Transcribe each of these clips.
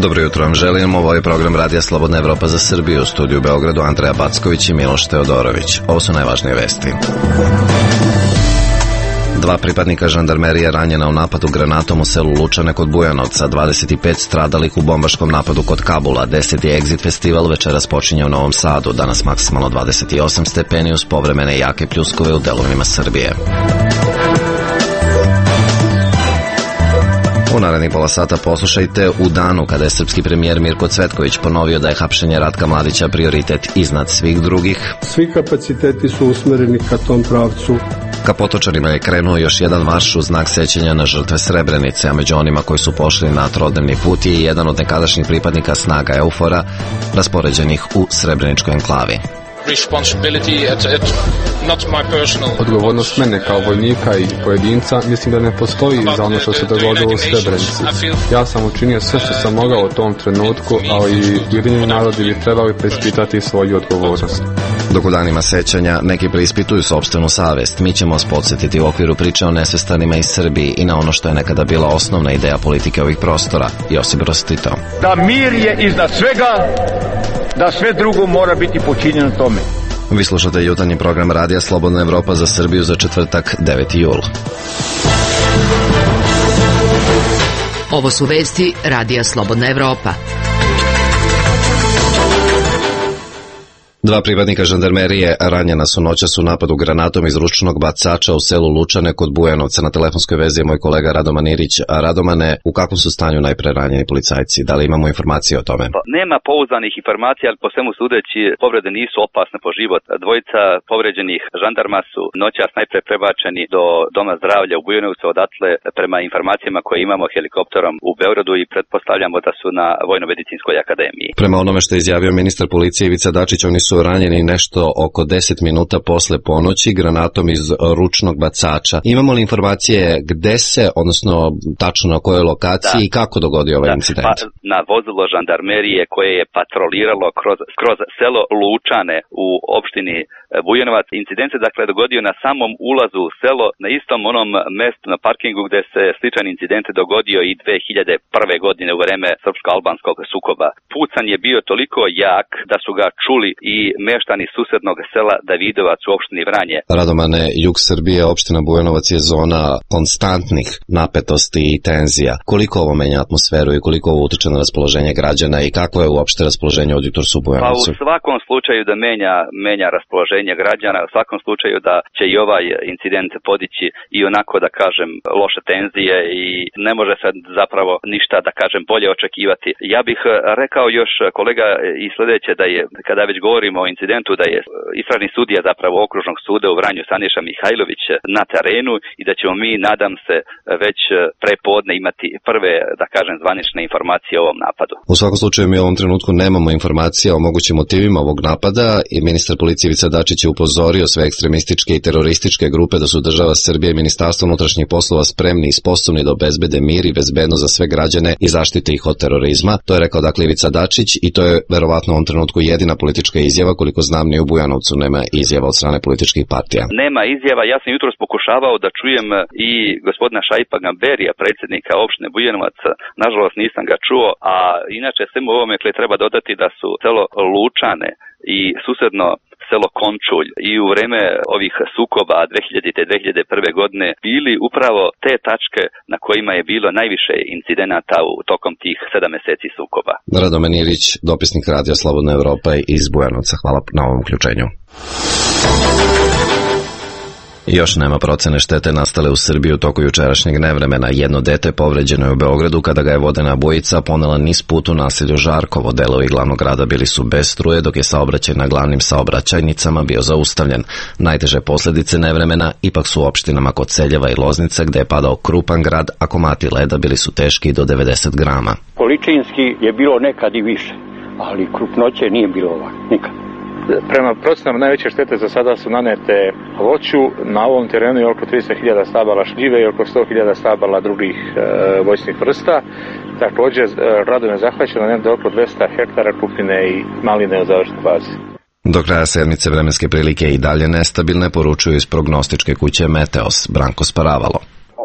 Dobro jutro vam želim, ovo je program Radija Slobodna Evropa za Srbiju, u studiju u Beogradu Andreja Backović i Miloš Teodorović. Ovo su najvažnije vesti. 2 pripadnika žandarmerije ranjena u napadu granatom u selu Lučane kod Bujanovca, 25 stradalih u bombaškom napadu kod Kabula, 10. Exit festival večeras počinje u Novom Sadu, danas maksimalno 28 stepeni uz povremene jake pljuskove u delovima Srbije. U narednih pola sata poslušajte u danu kada je srpski premijer Mirko Cvetković ponovio da je hapšenje Ratka Mladića prioritet iznad svih drugih. Svi kapaciteti su usmereni ka tom pravcu. Ka Potočarima je krenuo još jedan marš u znak sećanja na žrtve Srebrenice, a među onima koji su pošli na trodnevni put je jedan od nekadašnjih pripadnika snaga Eufora, raspoređenih u Srebreničkoj enklavi. Odgovornost mene kao vojnika i pojedinca mislim da ne postoji za ono što se dogodilo u Srebrenici. Ja sam učinio sve što sam mogao u tom trenutku, ali Ujedinjeni narodi bi trebali preispitati svoju odgovornost. Dok u danima sećanja neki preispituju sopstvenu savest, mi ćemo vas podsjetiti u okviru priče o nesvestanima iz Srbiji i na ono što je nekada bila osnovna ideja politike ovih prostora, Josip Broz Tito. Da mir je iznad svega, da sve drugo mora biti počinjeno tome. Vi slušate jutarnji program Radija Slobodna Evropa za Srbiju za četvrtak 9. jul. Ovo su vesti Radija Slobodna Evropa. 2 pripadnika žandarmerije ranjena su noćas u napadu granatom iz ručnog bacača u selu Lučane kod Bujanovca. Na telefonskoj vezi je moj kolega Radoman Irić. Radomane, u kakvom su stanju najpre ranjeni policajci? Da li imamo informacije o tome? Nema pouzdanih informacija, ali po svemu sudeći povrede nisu opasne po život. Dvojica povređenih žandarma su noćas najpre prebačeni do Doma zdravlja u Bujanovcu, odatle prema informacijama koje imamo helikopterom u Beogradu i pretpostavljamo da su na Vojno-medicinskoj akademiji. Prema onome što je izjavio ministar policije Ivica Dačić, oni su ranjeni nešto oko 10 minuta posle ponoći granatom iz ručnog bacača. Imamo li informacije gde se, odnosno tačno na kojoj lokaciji i kako dogodio ovaj incident? Na vozilo žandarmerije koje je patroliralo kroz selo Lučane u opštini Bujanovac. Incident se dakle dogodio na samom ulazu u selo, na istom onom mestu na parkingu gde se sličan incident dogodio i 2001. godine u vreme srpsko-albanskog sukoba. Pucanj je bio toliko jak da su ga čuli i meštani susednog sela Davidovac u opštini Vranje. Radomane, jug Srbije, opština Bujanovac je zona konstantnih napetosti i tenzija. Koliko ovo menja atmosferu i koliko ovo utiče na raspoloženje građana i kako je uopšte raspoloženje od jutros u Bujanovcu? Pa u svakom slučaju da menja raspoloženje građana, u svakom slučaju da će i ovaj incident podići i onako da kažem loše tenzije i ne može se zapravo ništa da kažem bolje očekivati. Ja bih rekao još kolega i sledeće da je, kada već govorimo o incidentu, da je istražni sudija zapravo okružnog suda u Vranju Saniša Mihajlović na terenu i da ćemo mi, nadam se, već prepodne imati prve, da kažem, zvanične informacije o ovom napadu. U svakom slučaju mi u ovom trenutku nemamo informacije o mogućim motivima ovog napada i ministar policije Ivica Dačić je upozorio sve ekstremističke i terorističke grupe da su država Srbije i Ministarstvo unutrašnjih poslova spremni i sposobni da obezbede mir i bezbednost za sve građane i zaštite ih od terorizma. To je rekao dakle Ivica Dačić i to je verovatno u ovom trenutku jedina politička izjava, koliko znam ni u Bujanovcu nema izjava od strane političkih partija. Nema izjava, ja sam jutros pokušavao da čujem i gospodina Šaipa Gamberija, predsjednika opštine Bujanovac, nažalost nisam ga čuo, a inače svemu ovome treba dodati da su selo Lučane i susedno selo Končulj i u vreme ovih sukoba 2000-2001. godine bili upravo te tačke na kojima je bilo najviše incidenata u tokom tih 7 meseci sukoba. Radoman Irić, dopisnik Radija Slobodna Evropa iz Bujanovca. Hvala na ovom uključenju. Još nema procene štete nastale u Srbiji u toku jučerašnjeg nevremena. Jedno dete povređeno je u Beogradu kada ga je vodena bujica ponela niz put u naselju Žarkovo. Delovi glavnog grada bili su bez struje, dok je saobraćaj na glavnim saobraćajnicama bio zaustavljen. Najteže posljedice nevremena ipak su u opštinama Koceljeva i Loznica, gde je padao krupan grad, a komati leda bili su teški do 90 grama. Količinski je bilo nekad i više, ali krupnoće nije bilo ovako, nikad. Prema procenama najveće štete za sada su nanete voću. Na ovom terenu je oko 30.000 stabala šljive i oko 100.000 stabala drugih voćnih vrsta. Također radom je zahvaćeno negdje oko 200 hektara kupine i maline u završnoj fazi. Do kraja sedmice vremenske prilike i dalje nestabilne, poručuju iz prognostičke kuće Meteos. Branko Sparavalo.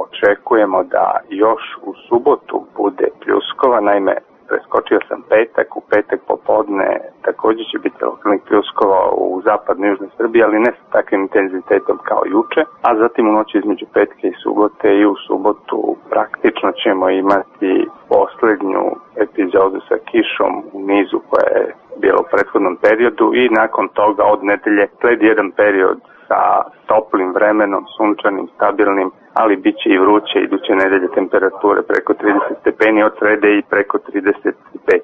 Očekujemo da još u subotu bude pljuskova, naime preskočio sam petak, u petak popodne također će biti lokalnih pljuskova u zapadnoj i južnoj Srbiji, ali ne sa takvim intenzitetom kao juče, a zatim u noći između petke i subote i u subotu praktično ćemo imati posljednju epizodu sa kišom u nizu koja je bila u prethodnom periodu i nakon toga od nedelje sledi jedan period sa toplim vremenom, sunčanim, stabilnim, ali bit će i vruće iduće nedelje temperature preko 30 stepeni, od srede i preko 35.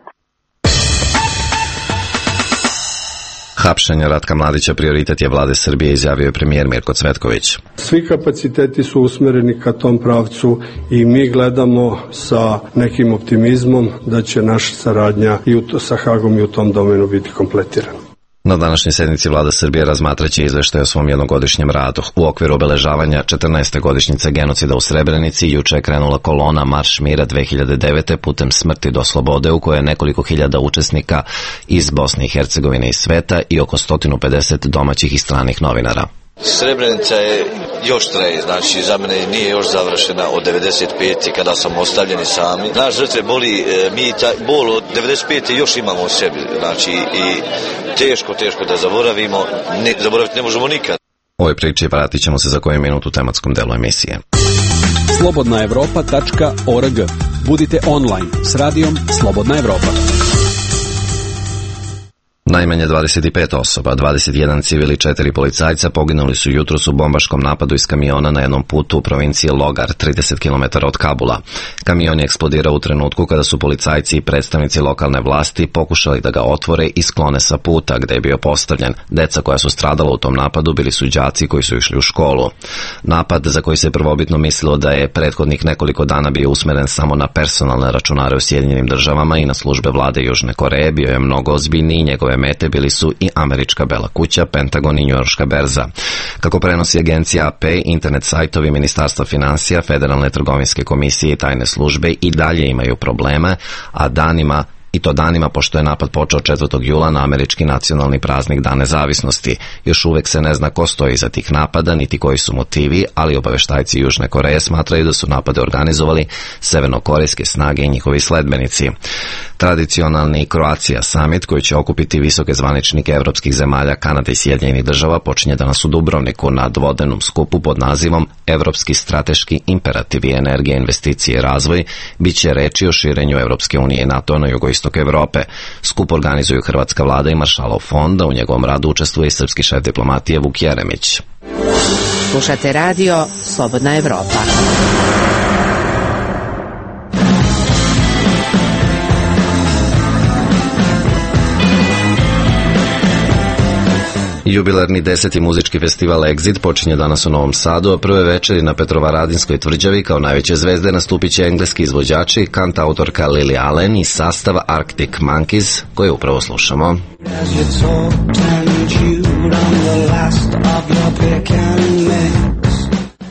Hapšenje Ratka Mladića prioritet je vlade Srbije, izjavio je premijer Mirko Cvetković. Svi kapaciteti su usmereni ka tom pravcu i mi gledamo sa nekim optimizmom da će naša saradnja sa Hagom i u tom domenu biti kompletirana. Na današnjoj sednici vlada Srbije razmatraće izveštaj o svom jednogodišnjem radu. U okviru obeležavanja 14. godišnjice genocida u Srebrenici juče je krenula kolona Marš mira 2009. putem smrti do slobode, u kojoj je nekoliko hiljada učesnika iz Bosne i Hercegovine i sveta i oko 150 domaćih i stranih novinara. Srebrenica je još traje, znači za mene nije još završena od 95. kada sam ostavljeni sami. Naš žrtve boli, mi taj bol od 95. još imamo u sebi, znači i teško da zaboravimo, zaboraviti ne možemo nikad. Ovoj priči vratit ćemo se za koju minutu u tematskom delu emisije. slobodnaevropa.org. Budite online s radijom Slobodna Evropa. Najmanje 25 osoba, 21 civil i 4 policajca poginuli su jutros u bombaškom napadu iz kamiona na jednom putu u provinciji Logar, 30 km od Kabula. Kamion je eksplodirao u trenutku kada su policajci i predstavnici lokalne vlasti pokušali da ga otvore i sklone sa puta gde je bio postavljen. Deca koja su stradala u tom napadu bili su đaci koji su išli u školu. Napad, za koji se prvobitno mislilo da je prethodnih nekoliko dana bio usmeren samo na personalne računare u Sjedinjenim Državama i na službe vlade Južne Koreje, bio je mnogo ozbiljniji. Njegove mete bili su i Američka Bela kuća, Pentagon i Njujorška berza. Kako prenosi agencija AP, internet sajtovi Ministarstva finansija, Federalne trgovinske komisije i tajne službe i dalje imaju probleme, a danima pošto je napad počeo 4. jula na američki nacionalni praznik Dan nezavisnosti. Još uvek se ne zna ko stoji iza tih napada, niti koji su motivi, ali obaveštajci Južne Koreje smatraju da su napade organizovali severnokorejske snage i njihovi sledbenici. Tradicionalni Kroacija summit, koji će okupiti visoke zvaničnike evropskih zemalja, Kanade i Sjedinjenih Država, počinje danas u Dubrovniku na dvodenom skupu pod nazivom Evropski strateški imperativi, energija, investicije i razvoj. Biće reči o širenju Evropske unije i NATO na jugoistoku Evrope. Skup organizuju Hrvatska vlada i Maršalov fond, a u njegovom radu učestvuje i srpski šef diplomatije Vuk Jeremić. Slušate radio Slobodna Evropa. Jubilarni 10. muzički festival Exit počinje danas u Novom Sadu, a prve večeri na Petrovaradinskoj tvrđavi kao najveće zvezde nastupit će engleski izvođači, kantautorka Lily Allen i sastav Arctic Monkeys, koje upravo slušamo.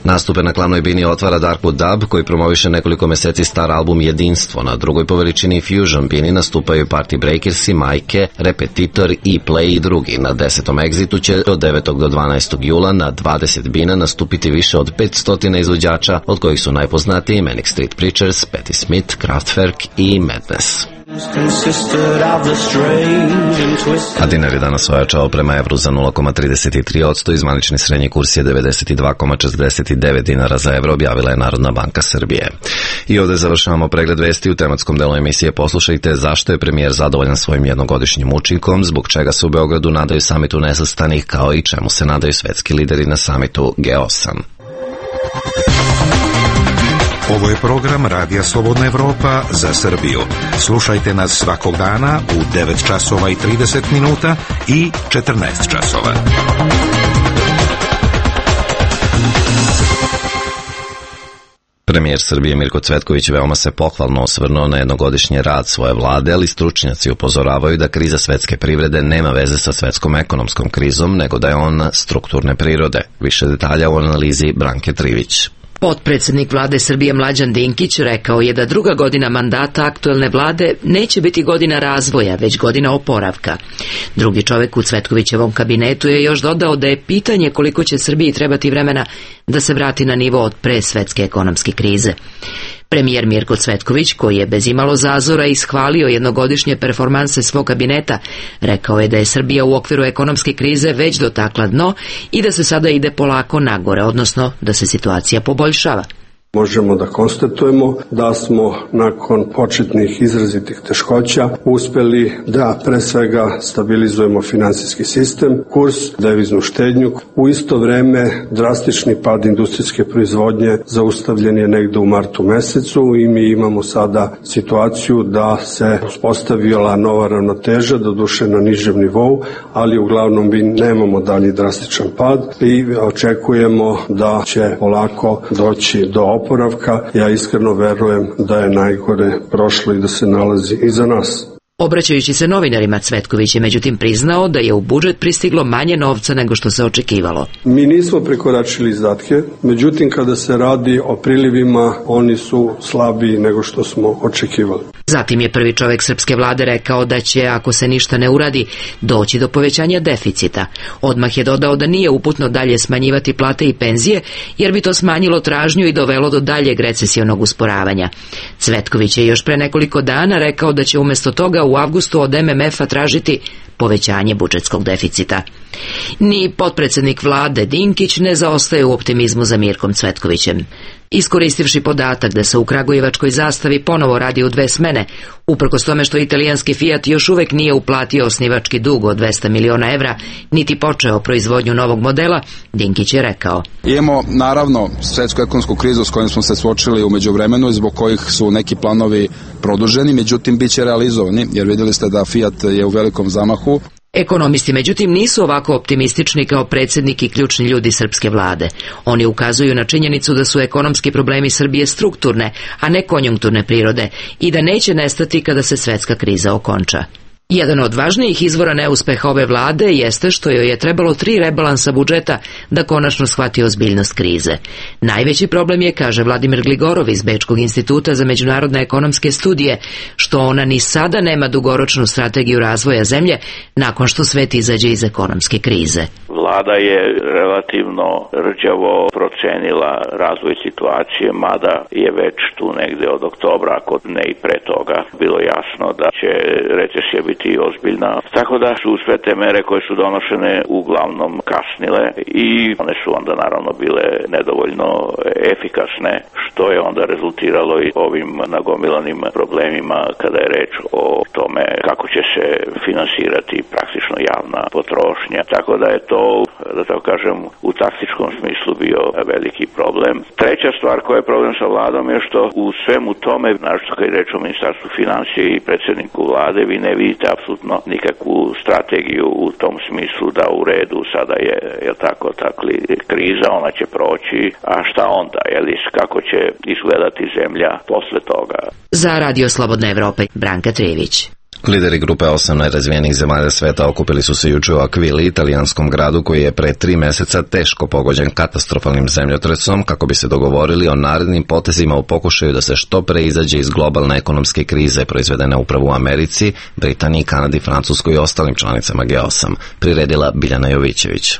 Nastupe na glavnoj bini otvara Darkwood Dub, koji promoviše nekoliko meseci star album Jedinstvo. Na drugoj po veličini Fusion bini nastupaju Party Breakersi, Majke, Repetitor, E-Play i drugi. Na 10. Exitu će od 9. do 12. jula na 20 bina nastupiti više od 500 izvođača, od kojih su najpoznatiji Manic Street Preachers, Patti Smith, Kraftwerk i Madness. A dinar je danas ojačao prema evru za 0,33%, zvanični srednji kurs je 92,49 dinara za evro, objavila je Narodna banka Srbije. I ovdje završavamo pregled vesti. U tematskom delu emisije poslušajte zašto je premijer zadovoljan svojim jednogodišnjim učinkom, zbog čega se u Beogradu nadaju samitu nesvrstanih, kao i čemu se nadaju svetski lideri na samitu G8. Ovo je program Radija Slobodna Evropa za Srbiju. Slušajte nas svakog dana u 9 časova i 30 minuta i 14 časova. Premijer Srbije Mirko Cvetković veoma se pohvalno osvrnuo na jednogodišnji rad svoje vlade, ali stručnjaci upozoravaju da kriza svetske privrede nema veze sa svetskom ekonomskom krizom, nego da je ona strukturne prirode. Više detalja u analizi Branke Trivić. Potpredsjednik vlade Srbije Mlađan Dinkić rekao je da druga godina mandata aktuelne vlade neće biti godina razvoja, već godina oporavka. Drugi čovjek u Cvetkovićevom kabinetu je još dodao da je pitanje koliko će Srbiji trebati vremena da se vrati na nivo od pre svetske ekonomske krize. Premijer Mirko Cvetković, koji je bez imalo zazora ishvalio jednogodišnje performanse svog kabineta, rekao je da je Srbija u okviru ekonomske krize već dotakla dno i da se sada ide polako nagore, odnosno da se situacija poboljšava. Možemo da konstatujemo da smo nakon početnih izrazitih teškoća uspeli da pre svega stabilizujemo finansijski sistem, kurs, deviznu štednju. U isto vreme drastični pad industrijske proizvodnje zaustavljen je negde u martu mesecu i mi imamo sada situaciju da se uspostavila nova ravnoteža, doduše na nižem nivou, ali uglavnom mi nemamo dalji drastičan pad i očekujemo da će polako doći do oporavka. Ja iskreno verujem da je najgore prošlo i da se nalazi iza nas. Obraćajući se novinarima, Cvetković je međutim priznao da je u budžet pristiglo manje novca nego što se očekivalo. Mi nismo prekoračili izdatke, međutim kada se radi o prilivima, oni su slabiji nego što smo očekivali. Zatim je prvi čovjek srpske vlade rekao da će, ako se ništa ne uradi, doći do povećanja deficita. Odmah je dodao da nije uputno dalje smanjivati plate i penzije, jer bi to smanjilo tražnju i dovelo do daljeg recesionog usporavanja. Cvetković je još pre nekoliko dana rekao da će umjesto toga u avgustu od MMF-a tražiti povećanje budžetskog deficita. Ni potpredsjednik vlade Dinkić ne zaostaje u optimizmu za Mirkom Cvetkovićem. Iskoristivši podatak da se u kragujevačkoj Zastavi ponovo radi u 2 smene, uprkos tome što italijanski Fiat još uvek nije uplatio osnivački dug od 200 miliona evra, niti počeo proizvodnju novog modela, Dinkić je rekao: Imamo naravno svetsku ekonomsku krizu s kojom smo se suočili u međuvremenu i zbog kojih su neki planovi produženi, međutim bit će realizovani, jer vidjeli ste da Fiat je u velikom zamahu. Ekonomisti, međutim, nisu ovako optimistični kao predsjednik i ključni ljudi srpske vlade. Oni ukazuju na činjenicu da su ekonomski problemi Srbije strukturne, a ne konjunkturne prirode i da neće nestati kada se svetska kriza okonča. Jedan od važnijih izvora neuspeha ove vlade jeste što joj je trebalo 3 rebalansa budžeta da konačno shvati ozbiljnost krize. Najveći problem je, kaže Vladimir Gligorov iz Bečkog instituta za međunarodne ekonomske studije, što ona ni sada nema dugoročnu strategiju razvoja zemlje nakon što svet izađe iz ekonomske krize. Vlada je relativno rđavo procenila razvoj situacije, mada je već tu negde od oktobra, ako ne i pre toga, bilo jasno da će recesija biti ozbiljna. Tako da su sve te mere koje su donošene uglavnom kasnile i one su onda naravno bile nedovoljno efikasne, što je onda rezultiralo i ovim nagomilanim problemima kada je reč o tome kako će se finansirati praktično javna potrošnja. Tako da je to, da tako kažem, u taktičkom smislu bio veliki problem. Treća stvar koja je problem sa vladom je što u svemu tome, našto kad je reč o ministarstvu financije i predsjedniku vlade, vi ne vidite apsolutno nikakvu strategiju u tom smislu da u redu sada je tako kriza, ona će proći, a šta onda, kako će izgledati zemlja posle toga. Za Radio Slobodne Evrope, Branka Trijević. Lideri grupe 8 najrazvijenijih zemalja sveta okupili su se juče u Akvili, italijanskom gradu koji je pre 3 meseca teško pogođen katastrofalnim zemljotresom, kako bi se dogovorili o narednim potezima u pokušaju da se što pre izađe iz globalne ekonomske krize proizvedene upravo u Americi, Britaniji, Kanadi, Francuskoj i ostalim članicama G8, priredila Biljana Jovićević.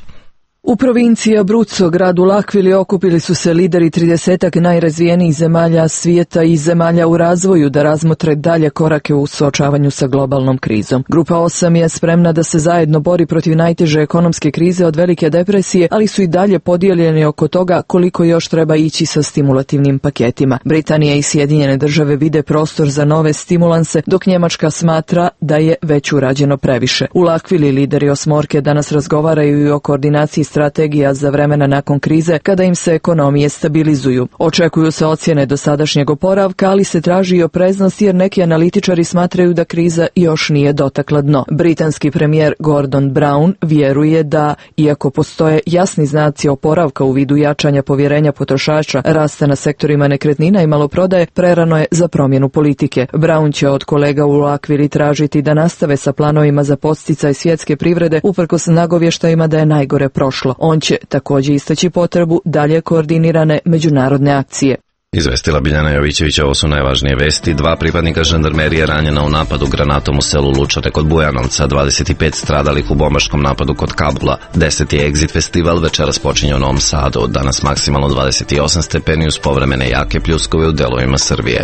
U provinciji Abruzzo, gradu L'Aquili, okupili su se lideri 30 najrazvijenijih zemalja svijeta i zemalja u razvoju da razmotre dalje korake u suočavanju sa globalnom krizom. Grupa 8 je spremna da se zajedno bori protiv najteže ekonomske krize od velike depresije, ali su i dalje podijeljeni oko toga koliko još treba ići sa stimulativnim paketima. Britanija i Sjedinjene države vide prostor za nove stimulanse, dok Njemačka smatra da je već urađeno previše. U L'Aquili lideri osmorke danas razgovaraju i o koordinaciji strategija za vremena nakon krize kada im se ekonomije stabilizuju. Očekuju se ocjene dosadašnjeg oporavka, ali se traži i opreznost jer neki analitičari smatraju da kriza još nije dotakla dno. Britanski premijer Gordon Brown vjeruje da, iako postoje jasni znaci oporavka u vidu jačanja povjerenja potrošača, rasta na sektorima nekretnina i maloprodaje, prerano je za promjenu politike. Brown će od kolega u L'Aquili tražiti da nastave sa planovima za podsticaj svjetske privrede uprkos nagovještajima da je najgore prošlo. On će također istaći potrebu dalje koordinirane međunarodne akcije. Izvestila Biljana Jovićević, ovo su najvažnije vesti. 2 pripadnika žandarmerije ranjena u napadu granatom u selu Lučare kod Bujanovca, 25 stradalih u bombaškom napadu kod Kabula. 10. je Exit festival, večeras počinje u Novom Sadu. Danas maksimalno 28 stepeni uz povremene jake pljuskove u delovima Srbije.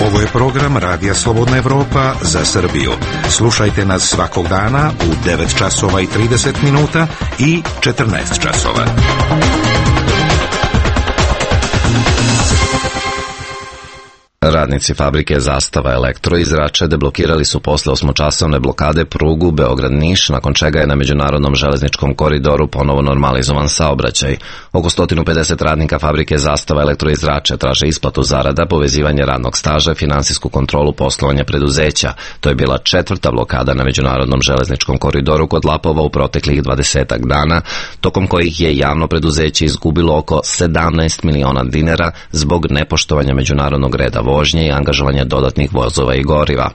Ovo je program Radija Slobodna Evropa za Srbiju. Slušajte nas svakog dana u 9 časova i 30 minuta i 14 časova. Radnici fabrike Zastava Elektro iz Rače deblokirali su posle 8-časovne blokade prugu Beograd-Niš, nakon čega je na međunarodnom železničkom koridoru ponovo normalizovan saobraćaj. Oko 150 radnika fabrike Zastava Elektro iz Rače traže isplatu zarada, povezivanje radnog staža, finansijsku kontrolu poslovanja preduzeća. To je bila 4. blokada na međunarodnom železničkom koridoru kod Lapova u proteklih 20 dana, tokom kojih je javno preduzeće izgubilo oko 17 miliona dinara zbog nepoštovanja međunarodnog reda vožnje i angažovanja dodatnih vozova i goriva.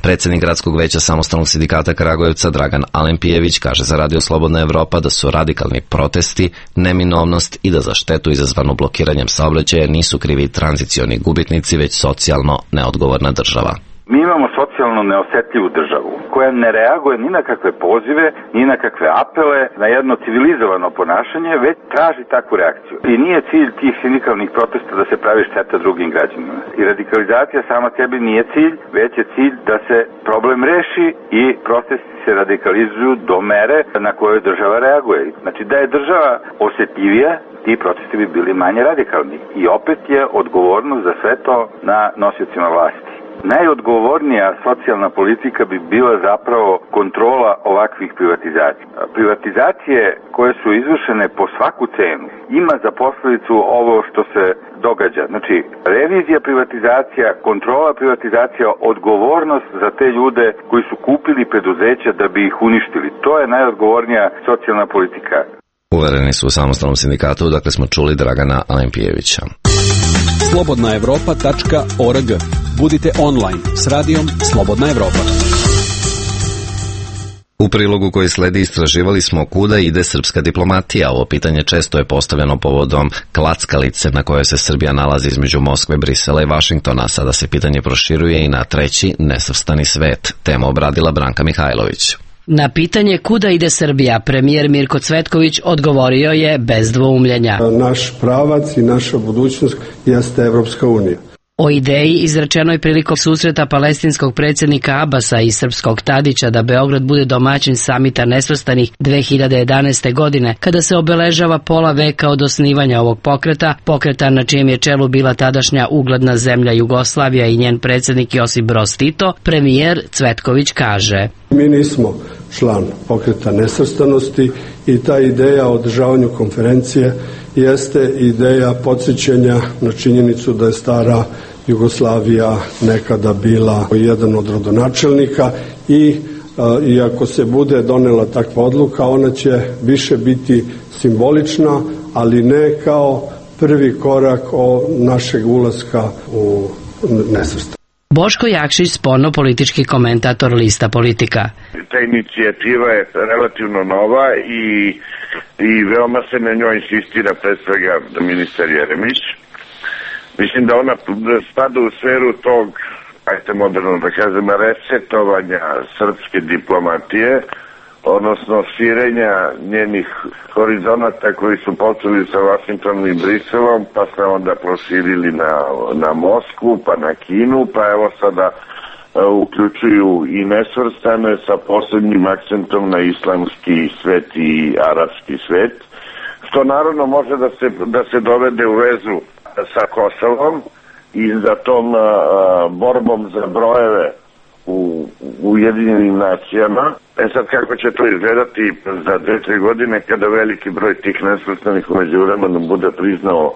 Predsjednik Gradskog veća Samostalnog sindikata Kragujevca Dragan Alempijević kaže za Radio Slobodna Evropa da su radikalni protesti, neminovnost i da za štetu izazvanu blokiranjem saobraćaja nisu krivi tranzicioni gubitnici, već socijalno neodgovorna država. Mi imamo socijalno neosetljivu državu koja ne reaguje ni na kakve pozive, ni na kakve apele, na jedno civilizovano ponašanje, već traži takvu reakciju. I nije cilj tih sindikalnih protesta da se pravi šteta drugim građanima. I radikalizacija sama sebi nije cilj, već je cilj da se problem reši i protesti se radikalizuju do mere na kojoj država reaguje. Znači da je država osjetljivija, ti protesti bi bili manje radikalni. I opet je odgovornost za sve to na nosiocima vlasti. Najodgovornija socijalna politika bi bila zapravo kontrola ovakvih privatizacija. Privatizacije koje su izvršene po svaku cenu ima za posljedicu ovo što se događa. Znači, revizija privatizacija, kontrola privatizacija, odgovornost za te ljude koji su kupili preduzeća da bi ih uništili. To je najodgovornija socijalna politika. Uvereni su u Samostalnom sindikatu, dakle smo čuli Dragana Alempijevića. slobodnaevropa.org. Budite online s radijom Slobodna Evropa. U prilogu koji sledi istraživali smo kuda ide srpska diplomatija. Ovo pitanje često je postavljeno povodom klackalice na kojoj se Srbija nalazi između Moskve, Brisela i Vašingtona. Sada se pitanje proširuje i na treći nesvrstani svet. Temu obradila Branka Mihajlović. Na pitanje kuda ide Srbija, premijer Mirko Cvetković odgovorio je bez dvoumljenja. Naš pravac i naša budućnost jeste Evropska unija. O ideji izrečenoj prilikom susreta palestinskog predsjednika Abasa i srpskog Tadića da Beograd bude domaćin samita nesvrstanih 2011. godine, kada se obeležava pola veka od osnivanja ovog pokreta na čijem je čelu bila tadašnja ugledna zemlja Jugoslavija i njen predsjednik Josip Broz Tito, premijer Cvetković kaže: Mi nismo član pokreta nesvrstanosti i ta ideja o održavanju konferencije jeste ideja podsjećanja na činjenicu da je stara Jugoslavija nekada bila jedan od rodonačelnika i ako se bude donela takva odluka, ona će više biti simbolična, ali ne kao prvi korak našeg ulaska u nesvrstanost. Boško Jakšić, spoljno-politički komentator Lista Politika. Ta inicijativa je relativno nova i veoma se na njoj insistira, pre svega ministar Jeremić. Mislim da ona spada u sferu tog, ajte moderno da kažem, resetovanja srpske diplomatije, odnosno širenja njenih horizonata koji su počeli sa Vašingtonom i Briselom, pa se onda proširili na Moskvu, pa na Kinu, pa evo sada uključuju i nesvrstane sa posebnim akcentom na islamski svet i arapski svet, što naravno može da se dovede u vezu sa Kosovom i za tom borbom za brojeve u Ujedinjenim nacijama. Sad kako će to izgledati za 2-3 godine kada veliki broj tih nesvrstanih u međuvremenu bude priznao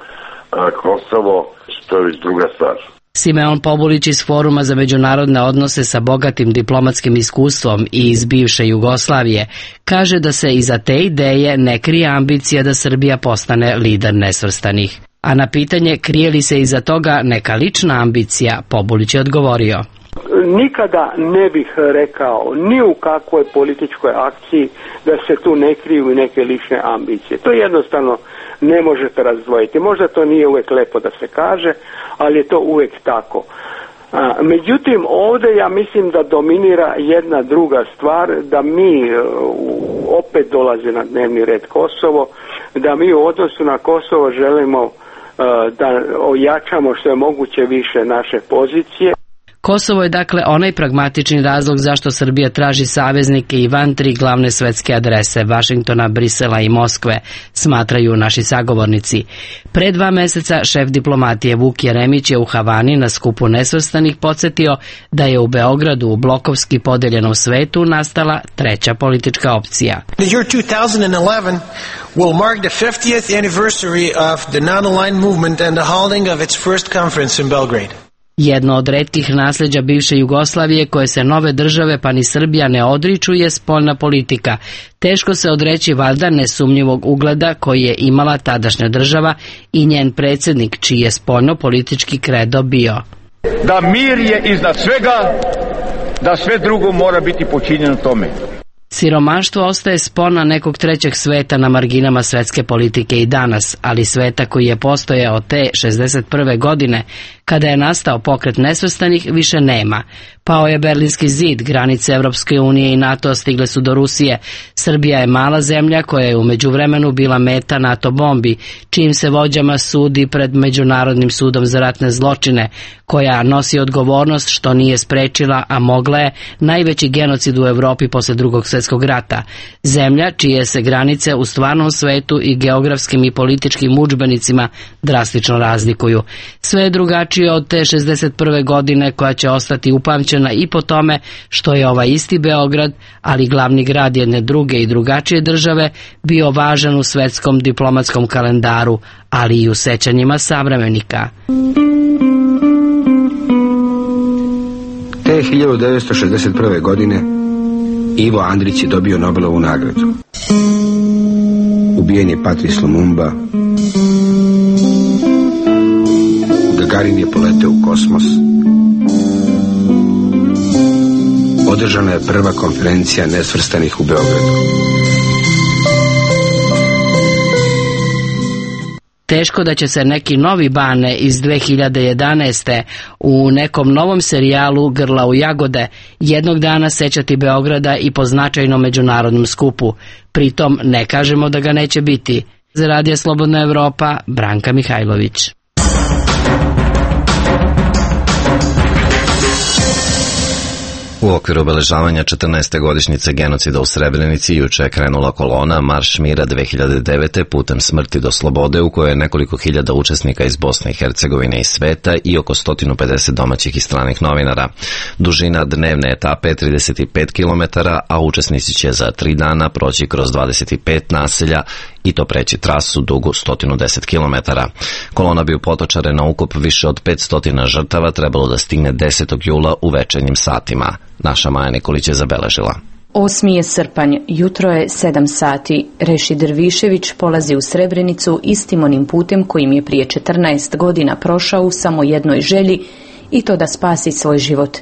Kosovo, što je već druga stvar. Simeon Pobulić iz Foruma za međunarodne odnose sa bogatim diplomatskim iskustvom i iz bivše Jugoslavije kaže da se iza te ideje ne krije ambicija da Srbija postane lider nesvrstanih. A na pitanje krije li se iza toga neka lična ambicija, Pobulić je odgovorio: Nikada ne bih rekao ni u kakvoj političkoj akciji da se tu ne kriju neke lične ambicije. To jednostavno ne možete razdvojiti. Možda to nije uvijek lepo da se kaže, ali je to uvijek tako. Međutim, ovdje ja mislim da dominira jedna druga stvar, da mi opet dolazi na dnevni red Kosovo, da mi u odnosu na Kosovo želimo da ojačamo što je moguće više naše pozicije. Kosovo je dakle onaj pragmatični razlog zašto Srbija traži saveznike i van 3 glavne svetske adrese, Vašingtona, Brisela i Moskve, smatraju naši sagovornici. Pre 2 meseca šef diplomatije Vuk Jeremić je u Havani na skupu nesvrstanih podsjetio da je u Beogradu u blokovski podeljenom svetu nastala treća politička opcija. The year 2011 will mark the 50th anniversary of the non-aligned movement and the holding of its first conference in Belgrade. Jedno od retkih nasljeđa bivše Jugoslavije koje se nove države pa ni Srbija ne odriču je spoljna politika. Teško se odreći valjda nesumnjivog ugleda koji je imala tadašnja država i njen predsjednik čiji je spoljno politički kredo bio. Da mir je iznad svega, da sve drugo mora biti počinjeno tome. Siromaštvo ostaje spona nekog trećeg sveta na marginama svetske politike i danas, ali sveta koji je postojao te 61. godine, kada je nastao pokret nesvrstanih, više nema. Pao je Berlinski zid, granice Evropske unije i NATO stigle su do Rusije. Srbija je mala zemlja koja je u međuvremenu bila meta NATO bombi, čijim se vođama sudi pred Međunarodnim sudom za ratne zločine, koja nosi odgovornost što nije sprečila, a mogla je, najveći genocid u Evropi posle Drugog svjetskog rata. Zemlja čije se granice u stvarnom svetu i geografskim i političkim udžbenicima drastično razlikuju. Sve je drugačije od te 61. godine koja će ostati upamćena i po tome što je ovaj isti Beograd, ali glavni grad jedne druge i drugačije države, bio važan u svetskom diplomatskom kalendaru, ali i u sećanjima savremenika. Te 1961. godine Ivo Andrić je dobio Nobelovu nagradu. Ubijen je Patrice Lumumba. Gagarin je poleteo u kosmos. Održana je prva konferencija nesvrstanih u Beogradu. Teško da će se neki novi Bane iz 2011. u nekom novom serijalu Grla u jagode jednog dana sećati Beograda i po značajnom međunarodnom skupu. Pritom ne kažemo da ga neće biti. Za Radio Slobodna Evropa, Branka Mihajlović. U okviru obeležavanja 14. godišnjice genocida u Srebrenici juče je krenula kolona Marš mira 2009. putem smrti do slobode u kojoj je nekoliko hiljada učesnika iz Bosne i Hercegovine i sveta i oko 150 domaćih i stranih novinara. Dužina dnevne etape je 35 km, a učesnici će za 3 dana proći kroz 25 naselja i to preći trasu dugu 110 km. Kolona bi u Potočare na ukup više od 500 žrtava trebalo da stigne 10. jula u večernjim satima. Naša Maja Nikolić je zabeležila. 8. je srpanj, jutro je 7 sati. Reši Drvišević polazi u Srebrenicu istim onim putem kojim je prije 14 godina prošao u samo jednoj želji, i to da spasi svoj život.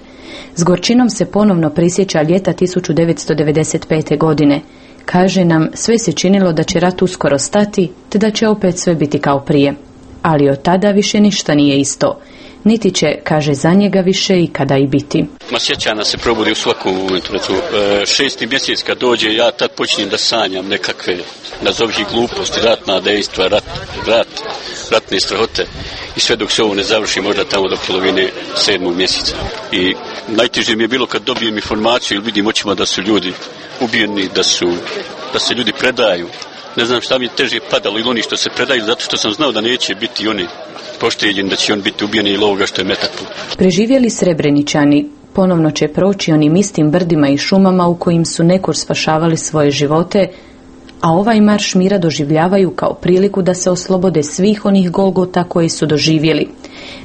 S gorčinom se ponovno prisjeća ljeta 1995. godine. Kaže nam, sve se činilo da će rat uskoro stati, te da će opet sve biti kao prije. Ali od tada više ništa nije isto. Niti će, kaže, za njega više ikada i biti. Ma sjećana se probudi u svakom momentu. 6. mjesec kad dođe, ja tad počnem da sanjam nekakve, nazovi gluposti, ratna dejstva, ratne strahote. I sve dok se ovo ne završi, možda tamo do polovine 7. mjeseca. I najteže mi je bilo kad dobijem informaciju ili vidim očima da su ljudi ubijeni, da se ljudi predaju. Ne znam šta mi je teže padalo ili oni što se predaju, zato što sam znao da neće biti oni pošteđeni, da će on biti ubijeni ili ovoga što je metak. Preživjeli Srebreničani ponovno će proći onim istim brdima i šumama u kojim su nekur spašavali svoje živote, a ovaj marš mira doživljavaju kao priliku da se oslobode svih onih golgota koji su doživjeli.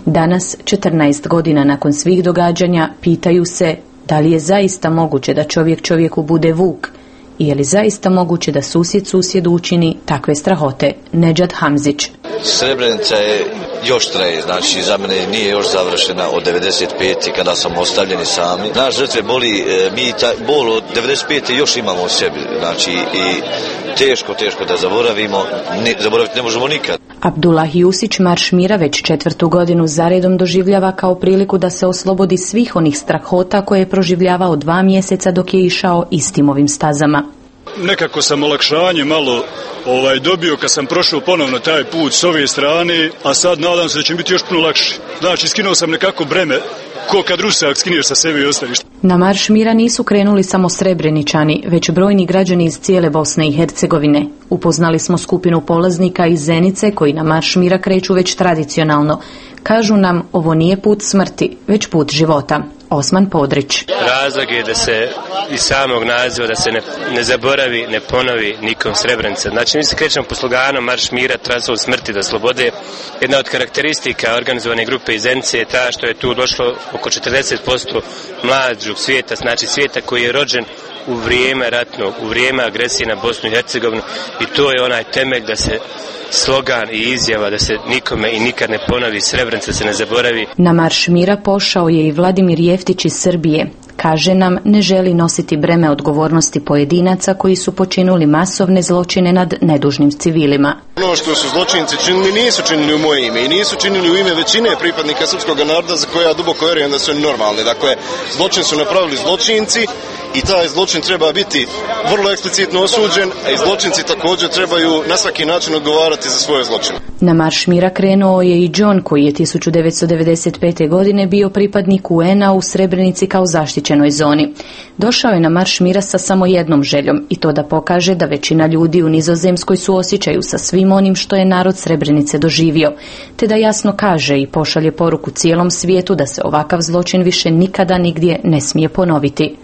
Danas, 14 godina nakon svih događanja, pitaju se da li je zaista moguće da čovjek čovjeku bude vuk i je li zaista moguće da susjed susjedu učini takve strahote. Nedžad Hamzić. Srebrenica je još traje, znači za mene nije još završena od 95. kada sam ostavljeni sami. Naš žrtve boli, mi bol od 95. još imamo u sebi, znači i teško da zaboravimo, zaboraviti ne možemo nikad. Abdullah Jusić marš mira već 4. godinu zaredom doživljava kao priliku da se oslobodi svih onih strahota koje je proživljavao 2 mjeseca dok je išao istim ovim stazama. Nekako sam olakšanje malo dobio kad sam prošao ponovno taj put s ove strane, a sad nadam se da će biti još puno lakše. Znači, skinuo sam nekako breme, ko kad rusak skineš sa sebe i ostaviš. Na marš mira nisu krenuli samo Srebreničani, već brojni građani iz cijele Bosne i Hercegovine. Upoznali smo skupinu polaznika iz Zenice koji na marš mira kreću već tradicionalno. Kažu nam, ovo nije put smrti, već put života. Osman Podrić. Razlog je da se iz samog naziva da se ne zaboravi, ne ponovi nikom Srebrenica. Znači mi se krećemo po sloganu marš mira, trasa smrti do slobode. Jedna od karakteristika organizovane grupe iz Zenice je ta što je tu došlo oko 40% mlađog svijeta, znači svijeta koji je rođen u vrijeme ratnog, u vrijeme agresije na Bosnu i Hercegovinu, i to je onaj temelj da se slogan i izjava da se nikome i nikad ne ponovi, Srebrenica se ne zaboravi. Na marš mira pošao je i Vladimir Jeftić iz Srbije. Kaže nam, ne želi nositi breme odgovornosti pojedinaca koji su počinili masovne zločine nad nedužnim civilima. Ono što su zločinci činili nisu činili u moje ime i nisu činili u ime većine pripadnika srpskog naroda za koje ja duboko vjerujem da su normalni. Dakle, zločin su napravili zločinci i taj zločin treba biti vrlo eksplicitno osuđen, a i zločinci također trebaju na svaki način odgovarati za svoje zločine. Na marš mira krenuo je i John koji je 1995. godine bio pripadnik UN-a u Srebrenici kao zaštićenoj zoni. Došao je na marš mira sa samo jednom željom i to da pokaže da većina ljudi u Nizozemskoj suosjećaju sa svim onim što je narod Srebrenice doživio, te da jasno kaže i pošalje poruku cijelom svijetu da se ovakav zločin više nikada nigdje ne smije ponoviti.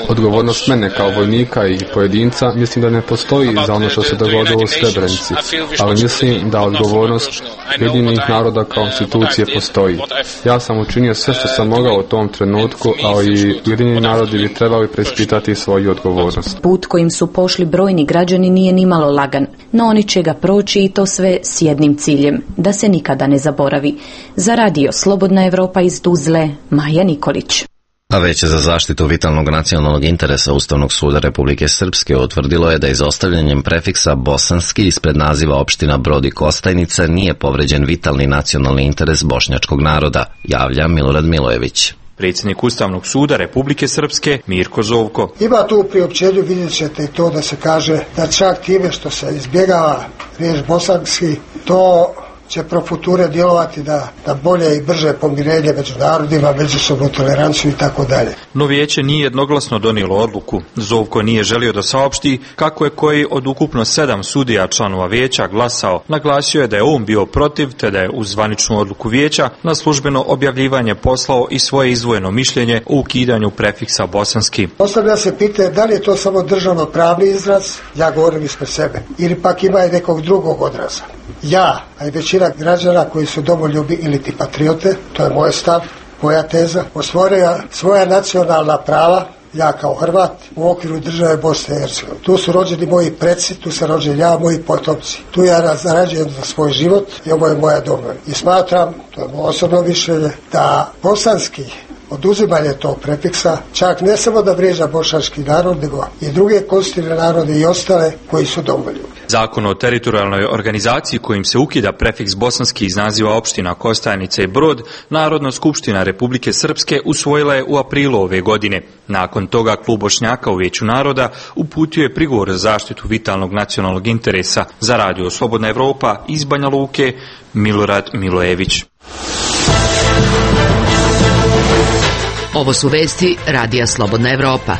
Odgovornost mene kao vojnika i pojedinca mislim da ne postoji za ono što se dogodilo u Srebrenici, ali mislim da odgovornost Ujedinjenih naroda kao institucije postoji. Ja sam učinio sve što sam mogao u tom trenutku, ali Ujedinjeni narodi bi trebali preispitati svoju odgovornost. Put kojim su pošli brojni građani nije nimalo lagan, no oni će ga proći i to sve s jednim ciljem, da se nikada ne zaboravi. Za radio Slobodna Evropa iz Tuzle, Maja Nikolić. A Veće za zaštitu vitalnog nacionalnog interesa Ustavnog suda Republike Srpske utvrdilo je da izostavljanjem prefiksa bosanski ispred naziva opština Brod i Kostajnica nije povređen vitalni nacionalni interes bošnjačkog naroda, javlja Milorad Milojević. Predsjednik Ustavnog suda Republike Srpske Mirko Zovko. Ima tu u priopćenju, vidjet ćete i to da se kaže da čak time što se izbjegava riječ bosanski, to će pro future djelovati da bolje i brže pomirenje među narodima, međusobnu toleranciju i tako dalje. No vijeće nije jednoglasno donijelo odluku. Zovko nije želio da saopšti kako je koji od ukupno 7 sudija članova vijeća glasao. Naglasio je da je on bio protiv, te da je uz zvaničnu odluku vijeća na službeno objavljivanje poslao i svoje izdvojeno mišljenje o ukidanju prefiksa bosanski. Postavlja se pitanje da li je to samo državno pravni izraz, ja govorim ispred sebe, ili pak ima i nekog drugog odraza. Ja, a i većina građana koji su domoljubi ili ti patriote, to je moj stav, moja teza, ostvaruju svoja nacionalna prava, ja kao Hrvat, u okviru države Bosne i Hercegovine. Tu su rođeni moji preci, tu sam rođen ja, moji potomci. Tu ja zarađujem za svoj život i ovo je moja domovina. I smatram, to je moje osobno mišljenje, da bosanski oduzimanje tog prefiksa čak ne samo da vrijeđa bošnjački narod, nego i druge konstitutivne narode i ostale koji su domoljubi. Zakon o teritorijalnoj organizaciji kojim se ukida prefiks bosanski iz naziva opština Kostajnica i Brod, Narodna skupština Republike Srpske usvojila je u aprilu ove godine. Nakon toga klub Bošnjaka u Vijeću naroda uputio je prigovor za zaštitu vitalnog nacionalnog interesa. Za radio Slobodna Evropa iz Banja Luke, Milorad Milojević. Ovo su vesti radija Slobodna Evropa.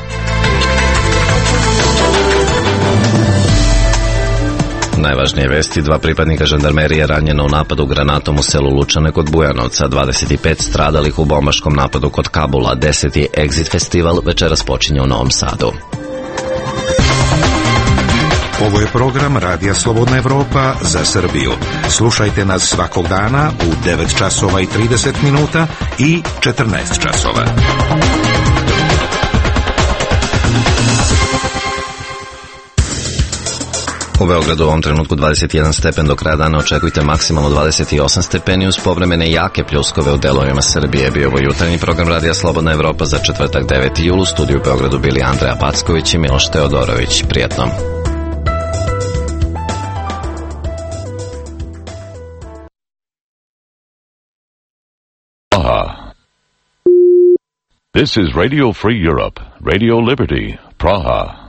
Najvažnije vesti, 2 pripadnika žandarmerije ranjeno u napadu granatom u selu Lučane kod Bujanovca, 25 stradalih u bombaškom napadu kod Kabula, 10. Exit festival večeras počinje u Novom Sadu. Ovo je program Radija Slobodna Evropa za Srbiju. Slušajte nas svakog dana u 9 časova i 30 minuta i 14 časova. U Beogradu u ovom trenutku 21 stepen, do kraja dana očekujte maksimalno 28 stepeni uz povremene jake pljuskove u delovima Srbije. Bio ovo jutarnji program Radija Slobodna Evropa za četvrtak 9. jul. U studiju u Beogradu bili Andreja Packović i Miloš Teodorović. Prijetno. This is Radio Free Europe, Radio Liberty, Praha.